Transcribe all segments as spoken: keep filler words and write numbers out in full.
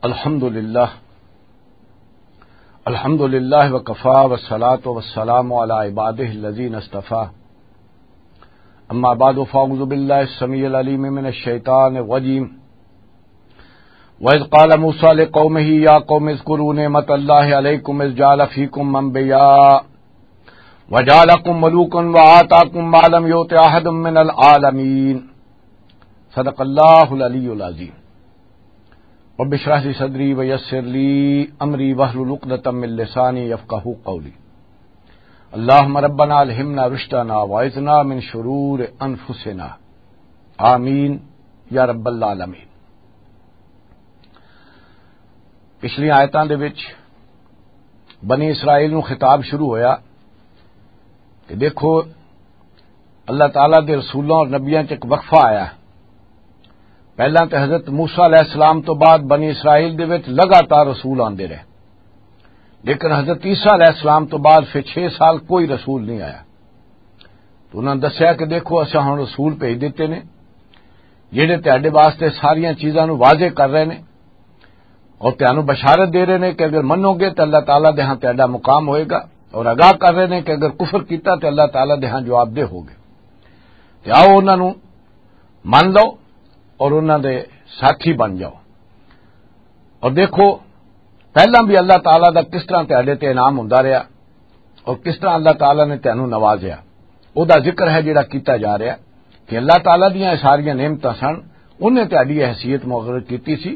الحمد لله. الحمد لله وكفى والصلاة والسلام على عباده الذين اصطفى. أما بعد، فأعوذ بالله السميع العليم من الشيطان الرجيم. وإذ قال موسى لقومه يا قوم اذكروا نعمة الله عليكم إذ جعل فيكم أنبياء وجعلكم ملوكا وآتاكم ما لم يؤت أحدا من العالمين. صدق الله العلي العظيم. رب اشرح لي صدري ويسر لي أمري واحلل عقدة من لساني يفقهوا قولي. اللهم ربنا ألهمنا رشدنا وأعذنا من شرور أنفسنا. آمين يا رب العالمين. پچھلیاں آیتاں دے وچ بنی اسرائیل نوں خطاب شروع ہویا کہ دیکھو، اللہ تعالیٰ دے رسولوں اور نبیاں چ ایک وقفہ آیا۔ پہلاں تے حضرت موسیٰ علیہ السلام تو بعد بنی اسرائیل دے وچ لگاتار رسول آندے رہے، لیکن حضرت عیسیٰ علیہ السلام تو بعد پھر چھ سال کوئی رسول نہیں آیا۔ تو انہاں دسیا کہ دیکھو، اساں ہن رسول بھیج دتے نے، جہڑے تہاڈے واسطے ساریاں چیزاں نوں واضح کر رہے نے اور تہانوں بشارت دے رہے نے کہ اگر منو گے تو اللہ تعالیٰ دے ہاں تہاڈا مقام ہوئے گا، اور آگاہ کر رہے نے کہ اگر کفر کیتا تو اللہ تعالیٰ دے ہاں جواب دہ ہوگے۔ تے آؤ، انہاں نوں من لو اور انہاں دے ساتھی بن جاؤ۔ اور دیکھو، پہلاں بھی اللہ تعالیٰ دا کس طرح تہاڈے تے انعام ہوندا رہیا اور کس طرح اللہ تعالیٰ نے تہانوں نوازیا۔ او دا ذکر ہے جڑا کیتا جا رہیا کہ اللہ تعالیٰ دیاں اے ساریاں نعمتاں سن، انہیں تہاڈی اے حیثیت مقرر کیتی سی۔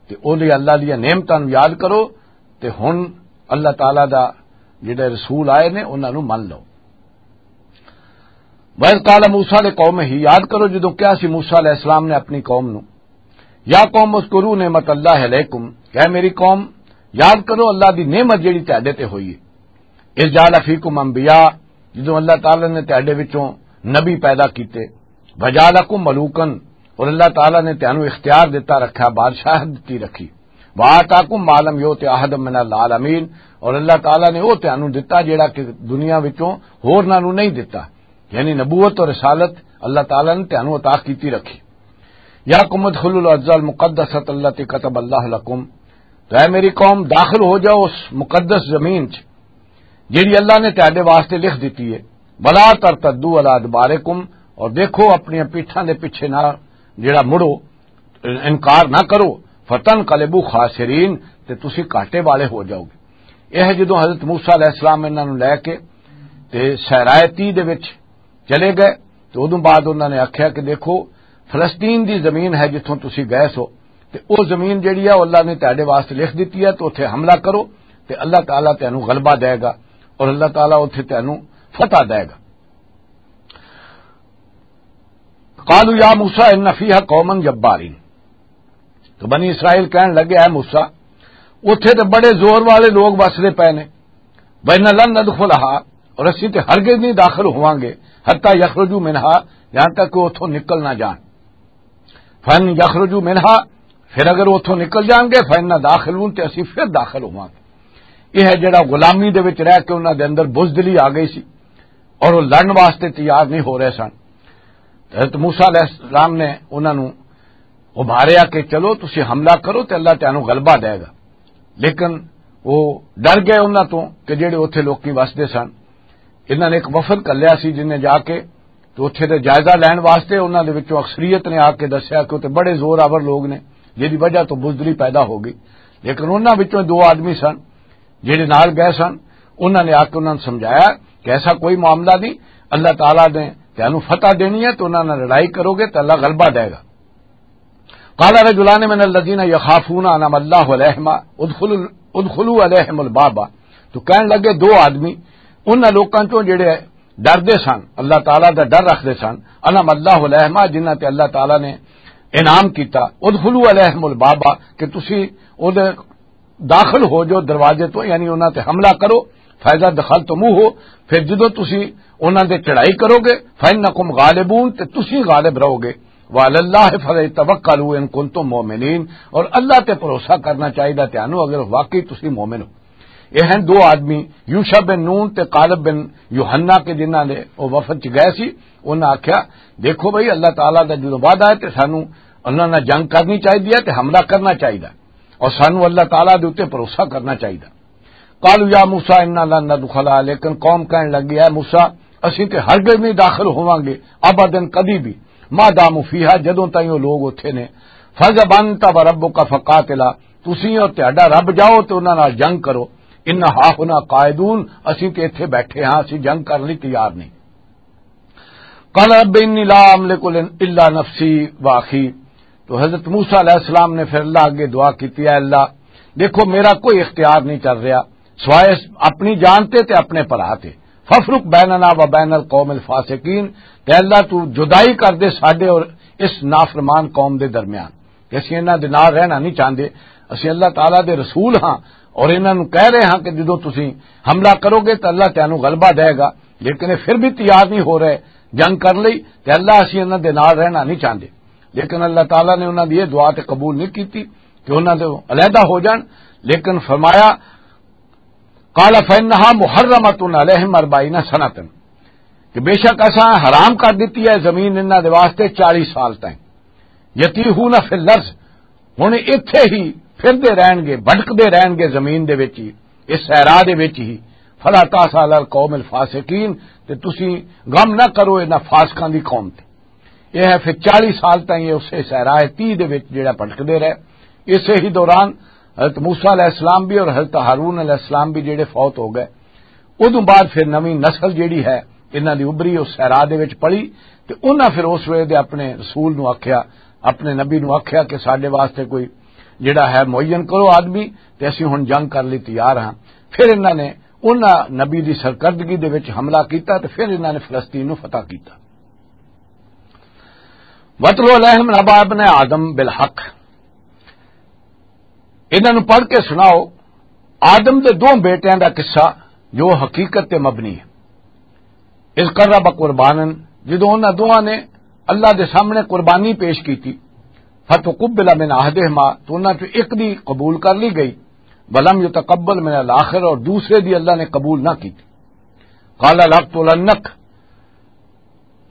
تے او دی اللہ دیاں نعمتاں نوں یاد کرو، تے ہن اللہ تعالیٰ دا جڑے رسول آئے نے، انہاں نوں من لو۔ وَإِذْ قَالَ مُوسَىٰ لِقَوْمِهِ، یاد کرو جدوں کہا سی موسیٰ علیہ السلام نے اپنی قوم نوں، یا قوم اذکروا نعمت اللہ علیکم، کہ اے میری قوم، یاد کرو اللہ دی نعمت جڑی تہاڈے تے ہوئی ہے۔ اذ جعل فیکم انبیاء، جدوں اللہ تعالیٰ نے تہاڈے وچوں نبی پیدا کیتے، وجعلکم ملوکن، اور اللہ تعالیٰ نے تہانوں اختیار دتا رکھا، بادشاہت دتی رکھی، وآتاکم ما لم یؤت احدا من العالمین، اور اللہ تعالیٰ نے وہ تہانوں دتا جڑا کہ دنیا وچوں ہور ناں نوں نہیں دتا، یعنی نبوت اور رسالت اللہ تعالیٰ نے تہانوں عطا کیتی رکھی۔ یا قوم ادخلوا الارض المقدسۃ التی کتب اللہ لکم، تو اے میری قوم، داخل ہو جاؤ اس مقدس زمین چ جیڑی اللہ نے تہاڈے واسطے لکھ دتی ہے۔ ولا ترتدوا علی ادبارکم، اور دیکھو اپنی پیٹھاں دے پیچھے نہ جیڑا مڑو، انکار نہ کرو۔ فتنقلبوا خاسرین، تے تسی گھاٹے والے ہو جاؤ گے۔ یہ جدوں حضرت موسیٰ علیہ السلام انہاں نوں لے کے تے صحرائے تی دے وچ چلے گئے۔ تے اودوں بعد انہاں نے آکھیا کہ دیکھو، فلسطین دی زمین ہے جتھوں تسی گئے سو، تے او زمین جیڑی ہے، او اللہ نے تہاڈے واسطے لکھ دتی ہے، تے اوتھے حملہ کرو، تے اللہ تعالیٰ تینوں غلبہ دے گا، اور اللہ تعالیٰ اوتھے تینوں فتح دے گا۔ قالوا یا موسیٰ ان فیہا قوما جبارین، تو بنی اسرائیل کہن لگے، اے موسیٰ، اوتھے تے بڑے زور والے لوگ وسدے پئے نے۔ وَإِنَّا لَن نَدْخُلَهَا، اور اسی تے ہرگز نہیں داخل ہوواں گے، حَتَّىٰ يَخْرُجُوا مِنْهَا، یہاں تک کہ اتھوں نکل نہ جان۔ فَإِنْ يَخْرُجُوا مِنْهَا، پھر اگر اتھوں نکل جان گے، فَإِنَّا دَاخِلُونَ، تے اسی پھر داخل ہوواں گے۔ یہ ہے جڑا غلامی دے وچ رہ کے انہاں دے اندر بزدلی آ گئی سی اور وہ لڑن واسطے تیار نہیں ہو رہے سن۔ حضرت موسیٰ علیہ السلام نے انہاں نوں ابھاریا کہ چلو تسی حملہ کرو تے اللہ تانوں غلبہ دے گا۔ لیکن وہ ڈر گئے انہاں تو کہ جڑے اوتھے لوکی وسدے سن۔ انہاں نے ایک وفد گھلیا سی جن نے جا کے تو اوتھے دے جائزہ لین واسطے انہاں دے وچوں اکثریت نے آ کے دسیا کہ اوتھے بڑے زور آور لوگ نے، جدی وجہ تو بزدلی پیدا ہو گئی۔ لیکن انہاں وچوں دو آدمی سن جڑے نال گئے سن، انہاں نے آ کے انہاں نوں سمجھایا کہ ایسا کوئی معاملہ نہیں، اللہ تعالیٰ نے تانوں فتح دینی ہے، تو انہاں نال لڑائی کرو گے تو اللہ غلبہ دے گا۔ قال رجلان من الذين يخافون انعم الله عليهم ادخلوا، ادخلوا عليهم الباب، تو کہن لگے دو آدمی انہاں لوکاں چوں جڑے ڈردے سن، اللہ تعالیٰ دا ڈر رکھدے سن، انعم اللہ علیہما، جنہاں تے اللہ تعالیٰ نے انعام کیتا، ادخلوا علیہم الباب، کہ تسی او دے داخل ہو جو دروازے تو، یعنی انہاں تے حملہ کرو، فیضا دخلتموہ، پھر جدوں تسی انہاں دے چڑھائی کرو گے، فانکم غالبون، تے تسی غالب رہو گے، وعلی اللہ فلیتوکلوا ان کنتم مؤمنین، اور اللہ تے بھروسہ کرنا چاہیدا تانوں اگر واقعی تسی مومن ہو۔ یہ ہیں دو آدمی، یوشع بن نون تے کالب بن یوحنا، کے جنہاں نے او وفد چ گئے سی۔ انہاں آکھیا، دیکھو بھائی، اللہ تعالیٰ دا جدوں وعدہ ہے تے سانوں انہاں نال جنگ کرنی چاہیدی ہے تے حملہ کرنا چاہیدا ہے۔ اور سانوں اللہ تعالیٰ دے اُتے بھروسہ کرنا چاہیدا۔ قالوا یا موسیٰ انا لن ندخلها، لیکن قوم کہن لگی، اے موسیٰ، اسیں تے ہرگز نہیں داخل ہوواں گے، ابداً، کدی بھی، ما داموا فیہا، جدوں تائیں او لوگ اوتھے نے۔ فاذهب انت وربک فقاتلا، تسی اور تہاڈا رب جاؤ تے انہاں نال جنگ کرو۔ انا ہاہنا قاعدون، اسیں تے ایتھے بیٹھے ہاں، اسیں جنگ کرن لئی تیار نہیں۔ قال رب انی لا املک الا نفسی واخی۔ تو حضرت موسیٰ علیہ السلام نے پھر اللہ اگے دعا کیتی، اے اللہ، دیکھو، میرا کوئی اختیار نہیں چل رہا سوائے اپنی جان تے تے اپنے بھرا تے۔ فافرق بیننا و بین القوم الفاسقین، تے اللہ تو جدائی کر دے ساڈے اور اس نافرمان قوم دے درمیان، کہ اسی انہاں دے نال رہنا نہیں چاہندے۔ اسی اللہ تعالیٰ دے رسول ہاں اور انہاں نوں کہہ رہے ہاں کہ جدوں تسی حملہ کرو گے تو اللہ تانوں غلبہ دے گا، لیکن یہ پھر بھی تیار نہیں ہو رہے جنگ کرن لئی، تے اللہ، اسی انہاں دے نال رہنا نہیں چاہندے۔ لیکن اللہ تعالیٰ نے انہاں دی یہ دعا تے قبول نہیں کیتی کہ انہاں دے علیحدہ ہو جان، لیکن فرمایا، قال فإنها محرمة عليهم أربعين سنة، کہ بے شک اساں حرام کر دتی ہے زمین انہاں دے واسطے چالیس سال تائیں۔ یتیہون فی الارض، ہن ایتھے ہی پھردے رہن گے، بھٹکدے رہن گے زمین دے وچ ہی، اس صحرا دے وچ ہی۔ فلا تاس علی القوم الفاسقین، تے تسی غم نہ کرو انہاں فاسقاں دی قوم تے۔ یہ ہے پھر چالیس سال تائیں یہ اسے صحرا ہے، تیس دے وچ جڑا بھٹکدے رہے۔ اسے ہی دوران حضرت موسیٰ علیہ السلام بھی اور حضرت ہارون علیہ السلام بھی جڑے فوت ہو گئے۔ ادوں بعد پھر نویں نسل جیڑی ہے، انہاں دی ابری اس صحرا دے وچ پلی، تے انہاں پھر اس ویلے دے اپنے رسول نو آکھیا، اپنے نبی نو آکھیا کہ ساڈے واسطے کوئی جیڑا ہے معین کرو آدمی، تے اسی ہن جنگ کر لئی تیار ہاں۔ پھر انہاں نے انہاں نبی دی سرکردگی دے وچ حملہ کیتا، تے پھر انہاں نے فلسطین نو فتح کیتا۔ وَاتْلُ عَلَيْهِمْ نَبَأَ ابْنَيْ آدَمَ بِالْحَقِّ، انہاں نوں پڑھ کے سناؤ آدم دے دو بیٹیاں دا قصہ جو حقیقت تے مبنی ہے۔ اذ قربا قربانا، جدوں انہاں دوواں نے اللہ دے سامنے قربانی پیش کیتی، فتقبل من احدہما، تو انہاں چوں ایک دی قبول کر لی گئی، ولم یتقبل من الاخر، اور دوسرے دی اللہ نے قبول نہ کیتی۔ قال لأقتلنک،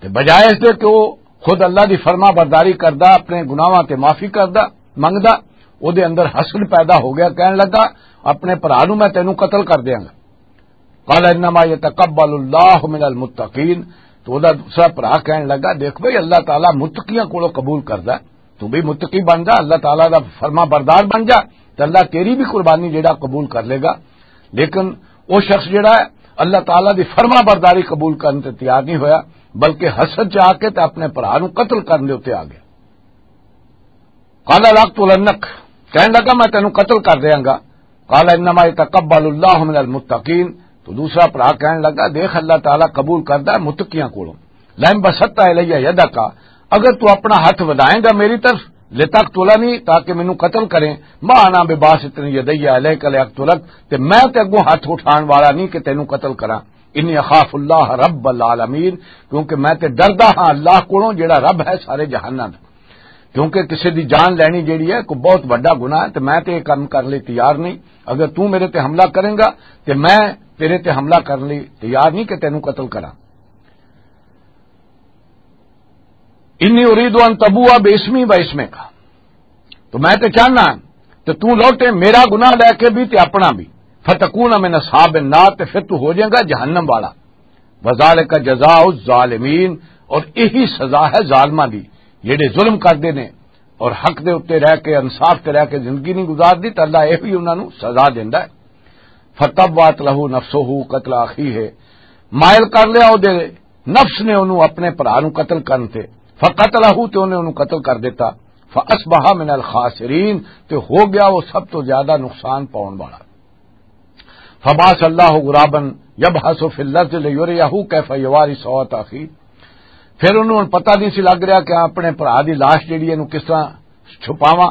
تے بجائے اس دے کہ وہ خود اللہ دی فرما برداری کردا، اپنے گناہاں تے معافی کردا، منگدا، او دے اندر حسد پیدا ہو گیا، کہن لگا، اپنے بھرا نوں میں تینوں قتل کر دیاں گا۔ قال انما یتقبل اللہ من المتقین، تو او دا دوسرا بھرا کہن لگا، دیکھ بھئی، اللہ تعالیٰ متقیاں کولوں قبول کردا ہے، تو بھی متقی بن جا، اللہ تعالیٰ دا فرما بردار بن جا، تے اللہ تیری بھی قربانی جڑا قبول کر لے گا۔ لیکن وہ شخص جڑا ہے، اللہ تعالیٰ دی فرما برداری قبول کرنے تے تیار نہیں ہویا، بلکہ حسد چ آ کے تے اپنے بھرا نوں قتل کرنے دے اُتے آ گیا۔ قال لأقتلنک، کہن لگا، میں تینوں قتل کر دیاں گا۔ قال انما یتقبل اللہ من المتقین، تو دوسرا بھرا کہن لگا، دیکھ، اللہ تعالیٰ قبول کردا ہے متقیاں کولوں۔ لئن بسطت الی یدک، اگر تو اپنا ہاتھ ودائیں گا میری طرف، لتقتلنی، تاکہ مینوں قتل کریں، ما انا بباسط یدی الیک لیقتلک، تے میں تے اگوں ہاتھ اٹھان والا نہیں کہ تینوں قتل کراں۔ انی اخاف اللہ رب العالمین، کیونکہ میں تے ڈردا ہاں اللہ کولوں جڑا رب ہے سارے جہاناں دا۔ کیونکہ کسے دی جان لینی جیڑی ہے کوئی بہت وڈا گناہ ہے، تے میں تے یہ کم کرن لئی تیار نہیں۔ اگر تو میرے تے حملہ کریں گا، تے میں تیرے تے حملہ کرن لئی تیار نہیں کہ تینوں قتل کراں۔ انی ارید ان تبوء باسمی و اسمک، تو میں تے چاہنا تے تو لوٹے میرا گناہ لے کے بھی تے اپنا بھی، فتکون من اصحاب النار، تے پھر تو ہو جائے گا جہنم والا۔ وذالک جزاء الظالمین، اور یہی سزا ہے ظالماں دی، جڑے ظلم کردے نے اور حق دے اُتے رہ کے، انصاف تے رہ کے زندگی نہیں گزاردی، تے اللہ یہ بھی انہاں نوں سزا دیندا ہے۔ فطوعت لہ نفسہ قتل اخیہ، مائل کر لیا او دے نفس نے انہوں اپنے بھرا نوں قتل کرن تے، فقتلہ، تے انہیں انہوں قتل کر دیتا، فاصبح من الخاسرین، تے ہو گیا وہ سب تو زیادہ نقصان پاؤن والا۔ فبعث اللہ غرابا یبحث فی الارض لیریہ کیف یواری سوءۃ اخیہ۔ پھر انہوں پتہ نہیں سی لگ رہا کہ اپنے بھرا دی لاش جڑی ہے، انہوں کس طرح چھپاواں۔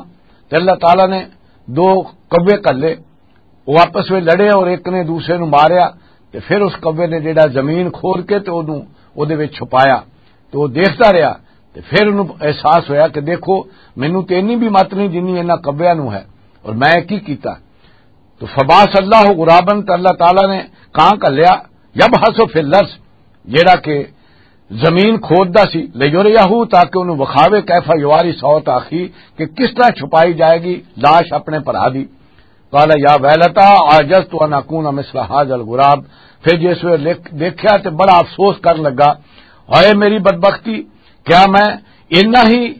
تے اللہ تعالیٰ نے دو کوے گھلے، وہ آپس میں لڑے اور ایک نے دوسرے نو ماریا، تے پھر اس کوے نے جڑا زمین کھود کے تے اودوں اودے وچ چھپایا، تے وہ دیکھدا رہیا۔ تے پھر انہوں احساس ہویا کہ دیکھو، مینوں تے انی بھی مت نہیں جنی انہاں کویاں نو ہے، اور میں کی کیتا؟ تو فبعث اللہ غرابا، تے اللہ تعالیٰ نے کان گھلیا، یبحث فی الارض، جڑا کہ زمین کھوددا سی، لیریہو، تاکہ انہوں وکھاوے، کیف یواری سوت اخی، کہ کس طرح چھپائی جائے گی لاش اپنے بھرا دی۔ قال یا ویلتا عجزت ان اکون مثل هذا الغراب۔ پھر جس ویلے لکھ- دیکھیا تے بڑا افسوس کرن لگا، ہائے میری بدبختی، کیا میں اتنا ہی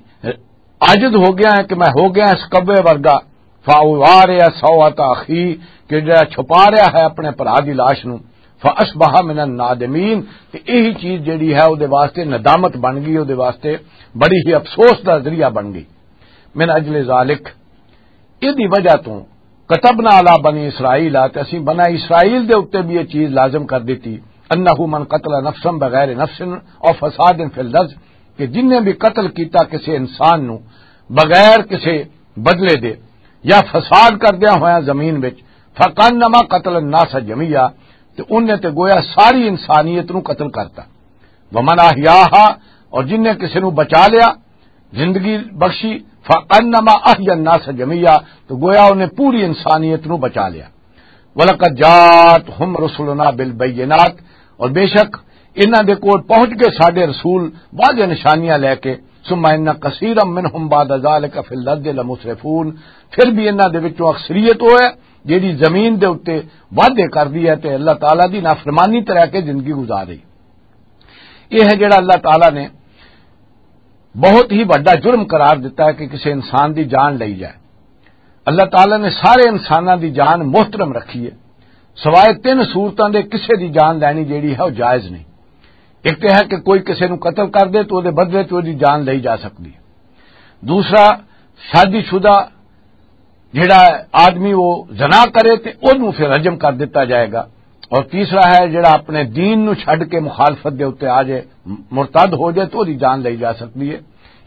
عاجز ہو گیا ہے کہ میں ہو گیا اس کبے ورگا؟ فاوارے سوت اخی، کہ جڑا چھپا رہا ہے اپنے بھرا دی لاش نو۔ فاصبح من النادمین، تے یہی چیز جڑی ہے او دے واسطے ندامت بن گئی، او دے واسطے بڑی ہی افسوس دا ذریعہ بن گئی۔ من اجل ذالک، اس دی وجہ تو، کتبنا علی بنی اسرائیل، تے اسی بنی اسرائیل دے اُتے بھی یہ چیز لازم کر دیتی، انہ من قتل نفسا بغیر نفس او فساد فی الارض، کہ جن نے بھی قتل کیتا کسی انسان نو بغیر کسی بدلے دے یا فساد کردیا ہویا زمین وچ، فکانما قتل الناس جميعا، تے انہیں تے گویا ساری انسانیت نو قتل کرتا۔ ومن احیاہا، اور جن نے کسی نو بچا لیا، زندگی بخشی، فانما احیا الناس جميعا، تو گویا انہیں پوری انسانیت نو بچا لیا۔ ولقد جاءتهم رسلنا بالبينات، اور بے شک انہاں دے کول پہنچ گئے ساڈے رسول واضح نشانیاں لے کے۔ ثم ان كثيرا منهم بعد ذلك في الارض لمسرفون، پھر بھی انہاں دے وچوں اکثریت وہ ہے جیڑی زمین دے اُتے وعدے کردی ہے تے اللہ تعالیٰ دی نافرمانی تے رہ کے زندگی گزار رہی۔ یہ ہے جڑا اللہ تعالیٰ نے بہت ہی بڑا جرم قرار دیتا ہے کہ کسی انسان دی جان لئی جائے۔ اللہ تعالیٰ نے سارے انساناں دی جان محترم رکھی ہے، سوائے تین صورتاں دے کسے دی جان لینی جیڑی ہے وہ جائز نہیں۔ ایک تو ہے کہ کوئی کسے نو قتل کر دے تو دے بدلے تو دی جان لئی جا سکتی ہے۔ دوسرا، شادی شدہ جڑا آدمی وہ زنا کرے تے اونوں پھر رجم کر دتا جائے گا۔ اور تیسرا ہے جڑا اپنے دین نو چھڈ کے مخالفت دے اُتے آ جائے، مرتد ہو جائے تو دی جان لئی جا سکتی ہے۔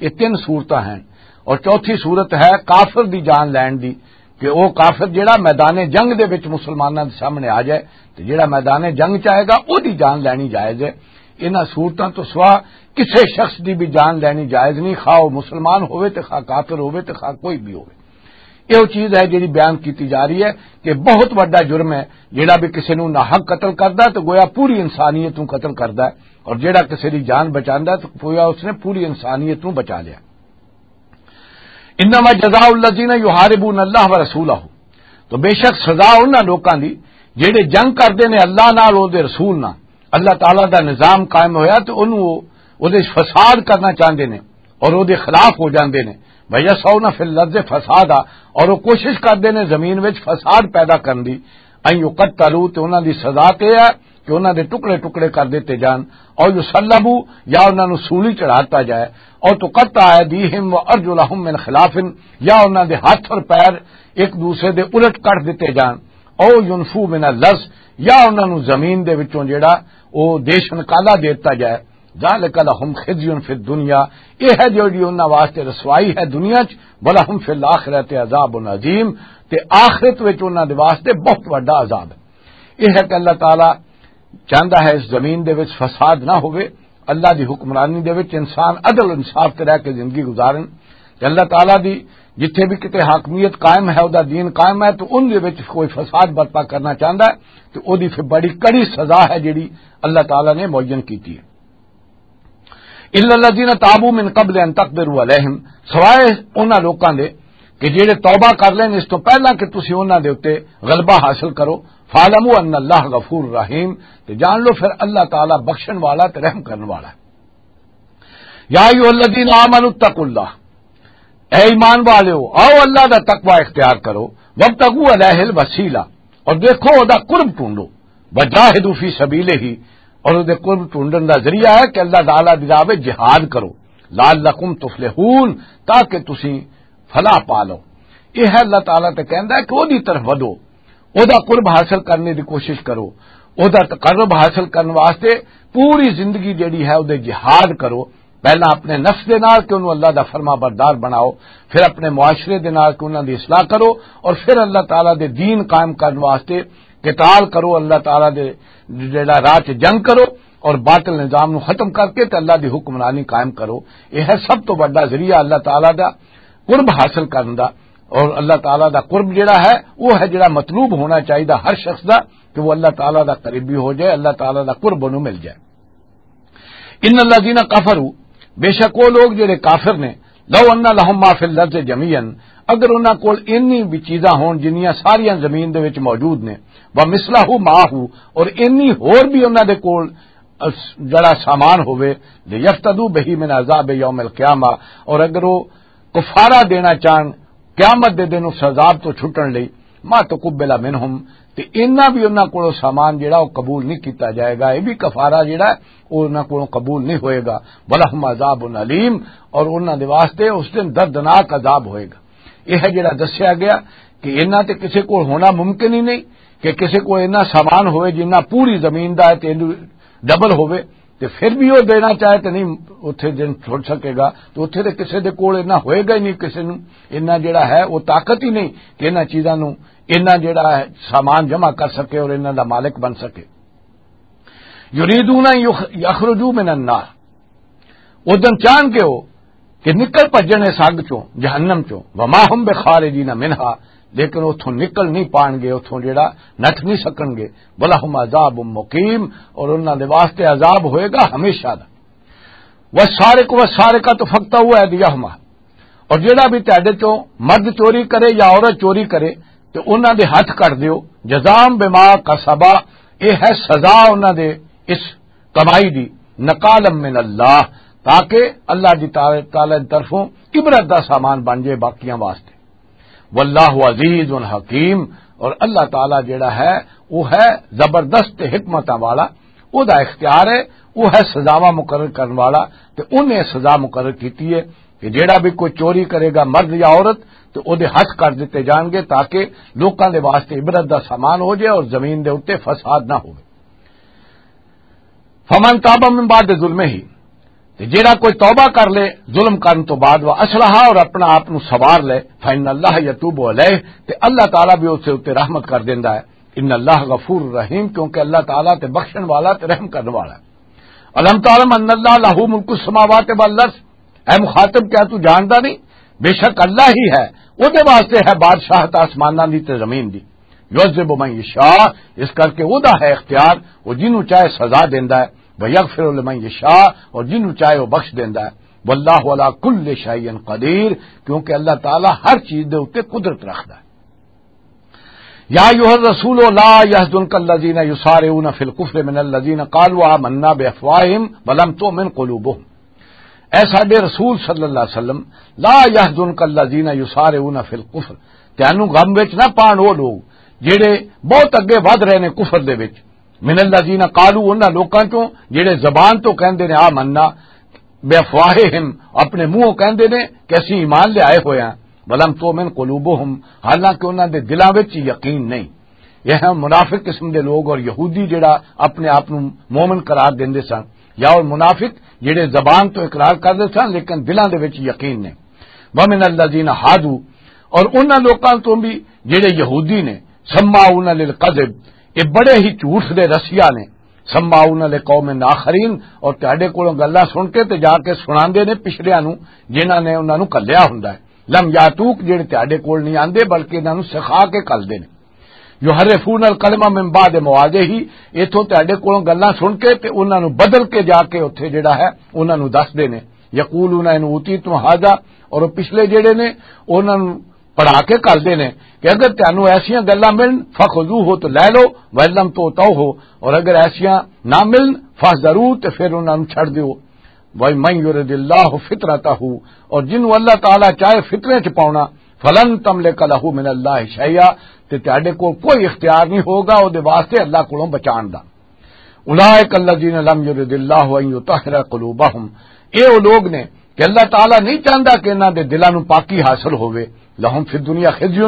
یہ تین صورتاں ہیں۔ اور چوتھی صورت ہے کافر دی جان لین دی، کہ وہ کافر جڑا میدان جنگ دے وچ مسلماناں دے سامنے آ جائے، تے جڑا میدان جنگ چ آئے گا، وہ دی جان لینی جائز ہے۔ انہاں صورتاں تو سوا کسے شخص دی بھی جان لینی جائز نہیں، خواہ وہ مسلمان ہوئے تے خواہ کافر ہوئے تے خواہ کوئی بھی ہوئے۔ یہ وہ چیز ہے جڑی بیان کیتی جا رہی ہے کہ بہت بڑا جرم ہے۔ جڑا بھی کسی نو ناحق قتل کردا ہے تو گویا پوری انسانیت نو قتل کردا ہے، اور جڑا کسی دی جان بچاندا ہے تو گویا اس نے پوری انسانیت نو بچا لیا۔ انما جزاء الذین یحاربون اللہ ورسولہ، تو بے شک سزا انہاں لوکاں دی جڑے جنگ کردے نے اللہ نال، او دے رسول نال۔ اللہ تعالیٰ دا نظام قائم ہویا تے انہوں او، او دے فساد کرنا چاہندے نے اور او دے خلاف ہو جاندے نے۔ وَيَسْعَوْنَ فِي الْأَرْضِ فَسَادًا، اور او کوشش کردے نے زمین وچ فساد پیدا کرن دی۔ اَن يُقَتَّلُوا، تے انہاں دی سزا تے ہے کہ انہاں دے ٹکڑے ٹکڑے کر دتے جان، او یصلبوا، یا انہاں نوں سولی چڑھا دتا جائے، او تقطع ایدیہم و ارجلہم من خلاف، یا انہاں دے ہاتھ اور پیر ایک دوسرے دے الٹ کٹ دتے جان، او ینفو من الارض، یا انہاں نوں زمین دے وچوں جیڑا او دیش نکالا دے دتا جائے۔ ذالک لہم خزی فی الدنیا، یہ ہے جو جی انہاں واسطے رسوائی ہے دنیا چ، ولہم فی الآخرۃ عذاب عظیم، تے آخرت وچ انہاں دے واسطے بہت وڈا عذاب ہے۔ یہ ہے کہ اللہ تعالیٰ چاہندا ہے اس زمین دے وچ فساد نہ ہوئے، اللہ دی حکمرانی دے وچ انسان عدل انصاف تے رہ کے زندگی گزارن، تے اللہ تعالیٰ دی جتھے بھی کتے حاکمیت قائم ہے، او دا دین قائم ہے، تو ان دے وچ کوئی فساد برپا کرنا چاہندا ہے، تو او دی پھر بڑی کڑی سزا ہے جڑی اللہ تعالیٰ نے معین کیتی ہے۔ الا الذین تابوا من قبل ان تقدروا علیہم، سوائے انہاں لوکاں دے کہ جڑے توبہ کر لین اس تو پہلا کہ تسی انہاں دے اُتے غلبہ حاصل کرو۔ فاعلموا ان اللہ غفور رحیم، تے جان لو پھر اللہ تعالیٰ بخشن والا تے رحم کرن والا ہے۔ یا ایھا الذین آمنوا اتقوا اللہ، اے ایمان والو، آؤ اللہ دا تقوی اختیار کرو۔ وابتغوا الیہ الوسیلہ، اور دیکھو او دا قرب ڈھونڈو۔ وجاہدوا فی سبیلہ، اور او دے قرب ڈھونڈن دا ذریعہ ہے کہ اللہ تعالیٰ دی راہ وچ جہاد کرو۔ لعلکم تفلحون، تاکہ تسی فلاح پا لو۔ یہ ہے اللہ تعالیٰ تے کہندا ہے کہ او دی طرف ودو، او دا قرب حاصل کرنے دی کوشش کرو، او دا تقرب حاصل کرنے واسطے پوری زندگی جڑی ہے او دے جہاد کرو۔ پہلا اپنے نفس دے نال کہ انہوں اللہ دا فرما بردار بناؤ، پھر اپنے معاشرے دے نال کہ انہاں دی اصلاح کرو، اور پھر اللہ تعالیٰ دے دین قائم کرنے واسطے قتال کرو، اللہ تعالیٰ دے جڑا راہ چ جنگ کرو، اور باطل نظام نو ختم کر کے تے اللہ دی حکمرانی قائم کرو۔ یہ ہے سب تو بڑا ذریعہ اللہ تعالیٰ دا قرب حاصل کرن دا۔ اور اللہ تعالیٰ دا قرب جڑا ہے، وہ ہے جڑا مطلوب ہونا چاہیے ہر شخص دا، کہ وہ اللہ تعالیٰ دا قریبی ہو جائے، اللہ تعالیٰ دا قرب انہوں مل جائے۔ ان الذین کفروا، بے شک وہ لوگ جڑے کافر نے، لو ان لہم ما فی الارض جمیعا، اگر انہاں کول اینی بھی چیزاں ہون جنیاں ساریاں زمین دے وچ موجود نے، ومثلہ معہ، اور اینی ہور بھی انہاں دے کول اس-، جڑا سامان ہوئے، لیفتدوا بہ من عذاب یوم القیامہ، اور اگر وہ کفارہ دینا چاہن قیامت دے دن اس عذاب تو چھٹن لئی، ما تقبل منہم، تے انہاں بھی انہاں کولوں سامان جڑا وہ قبول نہیں کیتا جائے گا۔ یہ بھی کفارہ جڑا ہے، وہ انہاں کولوں قبول نہیں ہوئے گا۔ ولہم عذاب علیم، اور انہاں دے واسطے اس دن دردناک عذاب ہوئے گا۔ یہ ہے جڑا دسیا گیا کہ انہاں تے کسے کول ہونا ممکن ہی نہیں کہ کسے کول اتنا سامان ہوئے جنہ پوری زمین دا ہے تے ڈبل ہوئے، تے پھر بھی وہ دینا چاہے تے نہیں، اتھے دن چھوڑ سکے گا۔ تو اتھے تے کسے دے کول اتنا ہوئے گا ہی نہیں، کسے نوں اتنا جڑا ہے وہ طاقت ہی نہیں کہ انہاں چیزاں نوں اتنا جڑا ہے سامان جمع کر سکے اور انہاں دا مالک بن سکے۔ یریدون ان یخ-، یخرجوا من النار، او دن چاہن گے ہو کہ نکل بھجن اس اگ چوں، جہنم چوں، وما ہم بخارجین منہا، لیکن اتھوں نکل نہیں پان گے، اتھوں جڑا نٹھ نہیں سکن گے۔ ولہم عذاب مقیم، اور انہاں دے واسطے عذاب ہوئے گا ہمیشہ دا۔ والسارق والسارقۃ فاقطعوا ایدیہما، اور جڑا بھی تہاڈے چوں مرد چوری کرے یا عورت چوری کرے، تے انہاں دے ہتھ کٹ دیو۔ جزام بما کسبا، اے ہے سزا انہاں دے اس کمائی دی، نکالا من اللہ، تاکہ اللہ دی تعالی، تعالی دی طرفوں عبرت دا سامان بن جائے باقیاں واسطے۔ واللہ عزیز حکیم، اور اللہ تعالی جڑا ہے، وہ ہے زبردست حکمتاں والا، وہ دا اختیار ہے، وہ ہے سزاواں مقرر کرن والا، تے انہیں سزا مقرر کیتی ہے کہ جڑا بھی کوئی چوری کرے گا، مرد یا عورت، تو او دے ہتھ کر دتے جان گے تاکہ لوکاں دے واسطے عبرت دا سامان ہو جائے اور زمین دے اُتے فساد نہ ہوئے۔ فمن تاب من بعد ظلمہ، تے جیڑا کوئی توبہ کر لے ظلم کرن تو بعد، و اصلح، اور اپنا آپ نو سوار لے، فإن اللہ یتوب علیہ، تے اللہ تعالیٰ بھی اس دے اُتے رحمت کر دیندا ہے۔ ان اللہ غفور رحیم، کیونکہ اللہ تعالیٰ تے بخشن والا تے رحم کرن والا ہے۔ الم تعلم ان اللہ لہ ملک السماوات والارض، اے مخاطب، کیا تو جاندا نہیں؟ بے شک اللہ ہی ہے، او دے واسطے ہے بادشاہت آسماناں دی تے زمین دی۔ یعذب من یشاء، اس کر کے او دا ہے اختیار، او جنوں چاہے سزا دیندا ہے، ویغفر لمن یشاء، اور جنوں چاہے او بخش دیندا ہے۔ واللہ علی کل شیء قدیر، کیونکہ اللہ تعالیٰ ہر چیز دے اُتے قدرت رکھدا ہے۔ یا ایھا الرسول لا یحزنک الذین یسارعون فی الکفر من الذین قالوا آمنا بافواہہم ولم تؤمن قلوبہم۔ اے ساڈے رسول صلی اللہ علیہ وسلم، لا یحزنک الذین یسارعون فی الکفر، تینوں غم وچ نہ پان او لوگ جڑے بہت اگے ودھ رہے نے کفر دے وچ، من الذین قالوا، انہاں لوکاں چوں جڑے زبان تو کہندے نے آمنا، بافواہہم، اپنے منہوں کہندے نے کہ اسی ایمان لے آئے ہوئے ہیں، ولم تؤمن قلوبہم، حالانکہ انہاں دے دلاں وچ یقین نہیں۔ یہ ہیں منافق قسم دے لوگ، اور یہودی جڑا اپنے آپ نو مومن قرار دیندے سن، یا اور منافق جڑے زبان تو اقرار کردے سن لیکن دلاں دے وچ یقین نہیں۔ ومن الذین ہادو، اور انہاں لوکاں تو بھی جڑے یہودی نے، سماعون للکذب، یہ بڑے ہی جھوٹ دے رسیا نے، سماعون لقوم آخرین، اور تہاڈے کولوں گلاں سن کے تے جا کے سناندے نے پچھلیاں نو، جنہاں نے انہاں نو کلیا ہوندا ہے۔ لم یاتوک، جڑے تہاڈے کول نہیں آندے بلکہ انہاں نو سکھا کے کلدے نے۔ یحرفون الکلمہ من بعد مواضعہ، ایتھوں تہاڈے کولوں گلاں سن کے تے انہاں نو بدل کے جا کے اوتھے جڑا ہے انہاں نو دسدے نے۔ یقولون ان اوتیتم ھذا، اور وہ پچھلے جڑے نے انہاں نو پڑھا کے کردے نے کہ اگر تانوں ایسیاں گلاں ملن، فخذوہ، تو لے لو، ولم تو تو ہو، اور اگر ایسیاں نہ ملن، فحذروا، تے پھر انہاں نوں چھڈ دیو۔ ومن یرد اللہ فطرتہ، اور جنوں اللہ تعالیٰ چاہے فطرے چ پاونا، فلن تملک لہ من اللہ شیئا، تے تہاڈے کول کوئی اختیار نہیں ہوگا او دے واسطے اللہ کولوں بچان دا۔ اولئک الذین لم یرد اللہ ان یطہر قلوبہم، اے او لوگ نے کہ اللہ تعالیٰ نہیں چاہندا کہ انہاں دے دلاں نوں پاکی حاصل ہووے۔ لہم فی الدنیا خزی،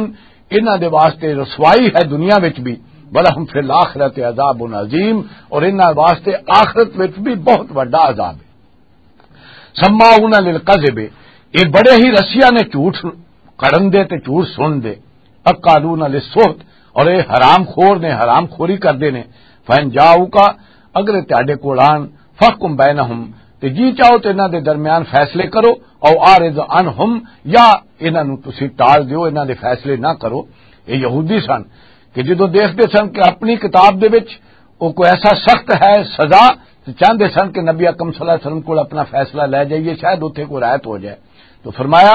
انہاں دے واسطے رسوائی ہے دنیا وچ بھی، ولہم فی الآخرۃ عذاب عظیم، اور انہاں واسطے آخرت وچ بھی بہت وڈا عذاب ہے۔ سماعون للکذب، یہ بڑے ہی رسیاں نے جھوٹ کڑن دے تے جھوٹ سن دے۔ اکالون للسحت، اور یہ حرام خور نے، حرام خوری کردے نے۔ فَإِنْ جَاءُوكَ، اگر تہاڈے کول آن، فَاحْكُمْ بَيْنَهُمْ، تے جی چاہو تے انہاں دے درمیان فیصلے کرو، او اعرض عنہم، یا انہاں نوں تسی ٹال دیو، انہاں دے فیصلے نہ کرو۔ یہ یہودی سن کہ جدوں دیکھدے سن کہ اپنی کتاب دے وچ او کوئی ایسا سخت ہے سزا تے چاہندے سن کہ نبی اکرم صلی اللہ علیہ وسلم کول اپنا فیصلہ لے جائیے، شاید اوتھے کوئی رعایت ہو جائے۔ تو فرمایا،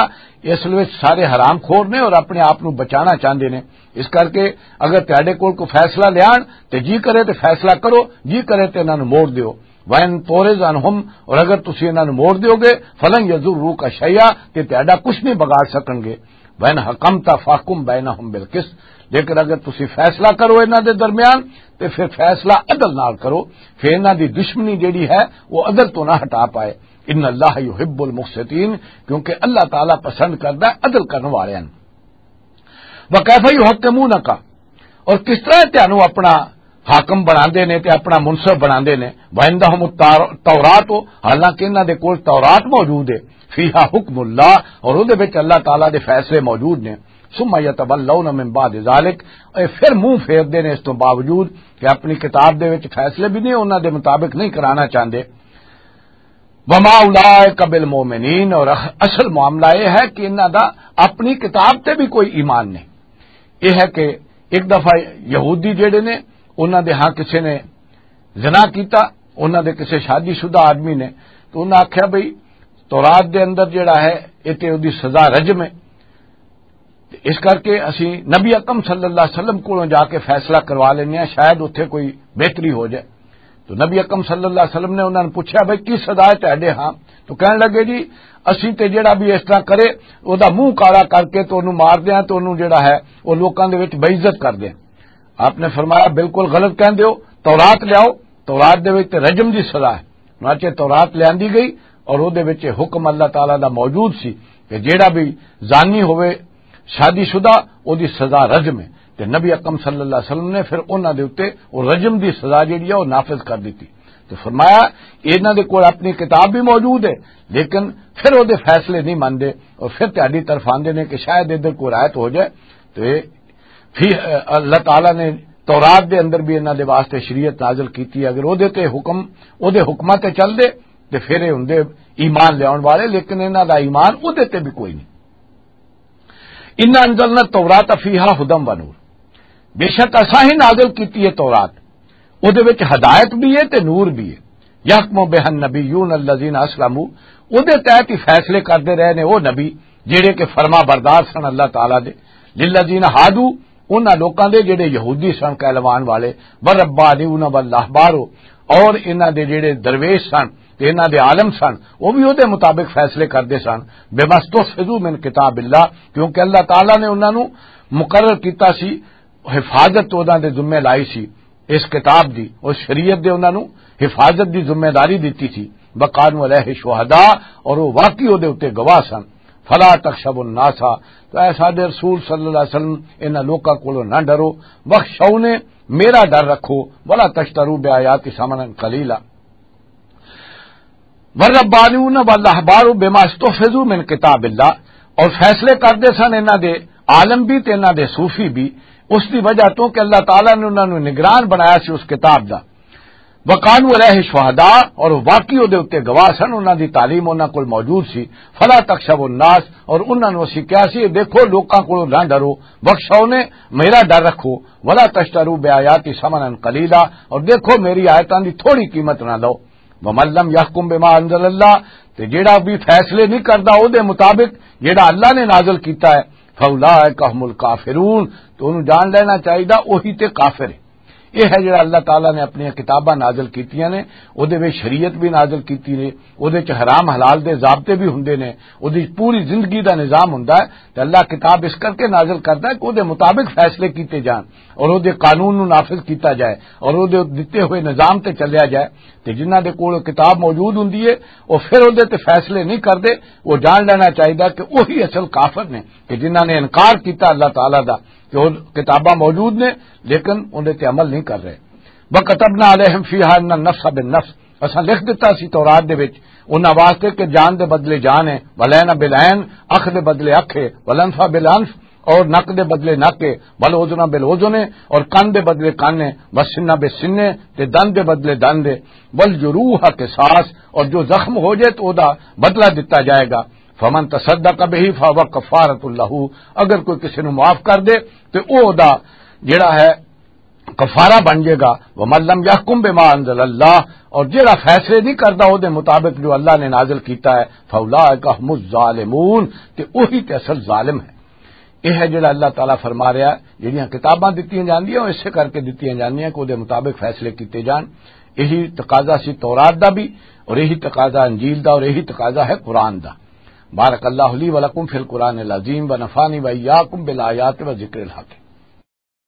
اصل وچ سارے حرام خور نے اور اپنے آپ نو بچانا چاہندے نے۔ اس کر کے اگر تہاڈے کول کوئی فیصلہ لیان تے جی کرے تے فیصلہ کرو، جی کرے تے انہاں نو موڑ دیو۔ وَإِن تُعْرِضْ عَنْهُمْ، اور اگر تسی انہاں نو موڑ دیو گے، فَلَنْ يَضُرُّوكَ شَيْئًا، تے تہاڈا کچھ نہیں بگاڑ سکن گے۔ وَإِنْ حَكَمْتَ فَاحْكُم بَيْنَهُمْ بِالْقِسْطِ، لیکن اگر تسی فیصلہ کرو انہاں دے درمیان، تے پھر فیصلہ عدل نال کرو، پھر انہاں دی دشمنی جیڑی ہے، وہ عدل تو نہ ہٹا پائے۔ ان اللہ یحب المقسطین، کیونکہ اللہ تعالیٰ پسند کردا ہے عدل کرن والیاں نوں۔ وکیف یحکمونک، اور کس طرح تانوں اپنا حاکم بناندے نے تے اپنا منصف بناندے نے۔ وعندہم التور-، التورات، حالانکہ انہاں دے کول تورات موجود ہے، فیہا حکم اللہ، اور اودے وچ اللہ تعالیٰ دے فیصلے موجود نے۔ ثم یتولون من بعد ذلک، اے پھر منہ پھیردے نے اس تو باوجود کہ اپنی کتاب دے وچ فیصلے بھی نہیں، انہاں دے مطابق نہیں کرانا چاہندے۔ وما اولئک بالمؤمنین، اور اصل معاملہ یہ ہے کہ انہاں دا اپنی کتاب تے بھی کوئی ایمان نہیں۔ یہ ہے کہ ایک دفعہ یہودی جڑے نے، انہاں دے ہاں کسے نے زنا کیتا، انہاں دے کسے شادی شدہ آدمی نے، تو انہاں آکھیا، بھئی، تورات دے اندر جڑا ہے، یہ تے اودی سزا رجم ہے۔ تے اس کر کے اسی نبی اکرم صلی اللہ علیہ وسلم کولوں جا کے فیصلہ کروا لینے ہیں، شاید اتھے کوئی بہتری ہو جائے۔ تو نبی اکرم صلی اللہ علیہ وسلم نے انہاں نوں پوچھا، "بھائی، کی سزا ہے تہاڈے ہاں؟" تو کہن لگے، "جی، اسی تے جڑا بھی اس طرح کرے، او دا منہ کالا کر کے تو اونوں مار دیاں، تو اونوں جڑا ہے، او لوکاں دے وچ بے عزت کر دیاں۔" آپ نے فرمایا، "بالکل غلط کہندے ہو، تورات لیاؤ، تورات دے وچ تے رجم دی سزا ہے۔" چنانچہ تورات لیاندی گئی اور اودے وچ حکم اللہ تعالیٰ دا موجود سی کہ جیڑا بھی زانی ہوئے، شادی شدہ، اودی سزا رجم ہے۔ تے نبی اکرم صلی اللہ علیہ وسلم نے پھر انہاں دے اُتے او رجم دی سزا جیڑی ہے، او نافذ کر دتی۔ تے فرمایا، انہاں دے کول اپنی کتاب بھی موجود ہے، لیکن پھر اودے فیصلے نہیں مندے اور پھر تہاڈی طرف آندے نے کہ شاید ادھر کوئی رعایت ہو جائے۔ تے پھر اللہ تعالیٰ نے تورات دے اندر بھی انہاں دے واسطے شریعت نازل کیتی ہے۔ اگر اودے تے حکم، اودے حکماں تے چل دے، تے پھر اے ہوندے ایمان لیاون والے، لیکن انہاں دا ایمان اودے تے بھی کوئی نہیں۔ انا انزلنا التوراۃ فیہا ہدی و نور، بے شک اساں ہی نازل کیتی ہے تورات، اودے وچ ہدایت بھی ہے تے نور بھی ہے۔ یحکم بہا النبیون الذین اسلموا، اودے تحت ہی فیصلے کردے رہے نے او نبی جڑے کہ فرما بردار سن اللہ تعالیٰ دے۔ للذین ہادو، انہاں لوکاں دے جڑے یہودی سن کہلوان والے، والربانیون والاحبار، اور انہاں دے جڑے درویش سن تے انہاں دے عالم سن، وہ بھی اودے مطابق فیصلے کردے سن۔ بما استحفظوا من کتاب اللہ، کیونکہ اللہ تعالیٰ نے انہاں نوں مقرر کیتا سی، حفاظت انہاں دے ذمے لائی سی اس کتاب دی، اس شریعت دے انہاں نوں حفاظت دی ذمہ داری دتی سی۔ وکانوا علیہ شہداء، اور وہ واقعی اودے اُتے گواہ سن۔ فلا تخشوا الناس، تو اے ساڈے رسول صلی اللہ علیہ وسلم، انہاں لوکاں کولوں نہ ڈرو، واخشونی، میرا ڈر رکھو، ولا تشتروا بآیاتی ثمنا قلیلا۔ والربانیون والاحبار بما استحفظوا من کتاب اللہ، اور فیصلے کردے سن انہاں دے عالم بھی تے انہاں دے صوفی بھی، اس دی وجہ تو کہ اللہ تعالیٰ نے انہاں نوں نگران بنایا سی اس کتاب دا۔ وکانوا علیہ شہداء، اور واقعی اودے اُتے گواہ سن، انہاں دی تعلیم انہاں کول موجود سی۔ فلا تخشوا الناس، اور انہاں نوں اسی کہیا سی، "اے دیکھو، لوکاں کولوں نہ ڈرو، واخشونی، میرا ڈر رکھو، ولا تشتروا بآیاتی ثمنا قلیلا، اور دیکھو، میری آیتاں دی تھوڑی قیمت نہ لو۔" ومن لم یحکم بما انزل اللہ، تے جیڑا بھی فیصلے نہیں کردا او دے مطابق جیڑا اللہ نے نازل کیتا ہے، فاولئک هم الکافرون، تو انہوں جان لینا چاہیدا، وہی تے کافر ہے۔ یہ ہے جڑا اللہ تعالیٰ نے اپنی کتاباں نازل کیتیاں نے، او دے وچ شریعت بھی نازل کیتی نے، او دے وچ حرام حلال دے ضابطے بھی ہوندے نے، او دی پوری زندگی دا نظام ہوندا ہے۔ تے اللہ کتاب اس کر کے نازل کردا ہے کہ او دے مطابق فیصلے کیتے جان اور او دے قانون نو نافذ کیتا جائے اور او دے دتے ہوئے نظام تے چلیا جائے۔ تے جنہاں دے کول کتاب موجود ہوندی ہے، او پھر او دے تے فیصلے نہیں کردے۔ او جان لینا چاہیدا کہ وہی اصل کافر نے کہ جنہاں نے انکار کیتا اللہ تعالیٰ دا کہ او کتاباں موجود نے، لیکن اون دے تے عمل نہیں کر رہے۔ وَكَتَبْنَا عَلَيْهِمْ فِيهَا أَنَّ النَّفْسَ بِالنَّفْسِ، اساں لکھ دتا سی تورات دے وچ انہاں واسطے کہ جان دے بدلے جان ہے، والعین بالعین، اکھ دے بدلے اکھ ہے، والانف بالانف، اور نک دے بدلے نک ہے، والاذن بالاذن ہے، اور کن دے بدلے کن ہے، والسن بالسن ہے، تے دند دے بدلے دند ہے، والجروح قصاص، اور جو زخم ہو جائے تو او دا بدلہ دتا جائے گا۔ فمن تصدق به فهو كفارة له، اگر کوئی کسی نو معاف کر دے تے او دا جڑا ہے کفارہ بن جائے گا۔ ومن لم يحكم بما انزل اللہ، اور جڑا فیصلے نہیں کردا او دے مطابق جو اللہ نے نازل کیتا ہے، فاولئک هم الظالمون، تے وہی تے اصل ظالم ہے۔ یہ ہے جڑا اللہ تعالیٰ فرما رہا ہے، جڑیاں کتاباں دتیاں جاندیاں، وہ اسے کر کے دتیاں جاندیاں کہ وہ دے مطابق فیصلے کیتے جان۔ یہی تقاضا سی تورات دا بھی، اور یہی تقاضا انجیل دا، اور یہی تقاضا ہے قرآن دا۔ بارک اللہ لی ولکم فی القرآن العظیم ونفعنی وإیاکم بالآیات وذکر الحکیم۔